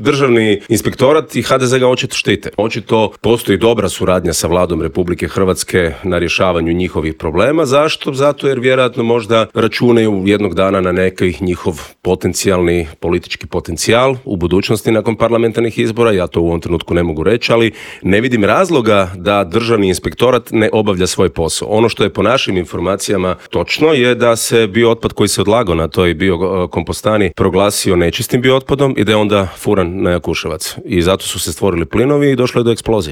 Državni inspektorat i HDZ ga očito štite. Očito postoji dobra suradnja sa Vladom Republike Hrvatske na rješavanju njihovih problema. Zašto? Zato jer vjerojatno možda računaju jednog dana na neki njihov potencijalni politički potencijal u budućnosti nakon parlamentarnih izbora. Ja to u ovom trenutku ne mogu reći, ali ne vidim razloga da Državni inspektorat ne obavlja svoj posao. Ono što je po našim informacijama točno je da se biootpad koji se odlagao na toj biokompostani proglasio nečistim biootpadom i da je onda furan na Jakuševac. I zato su se stvorili plinovi i došlo je do eksplozije.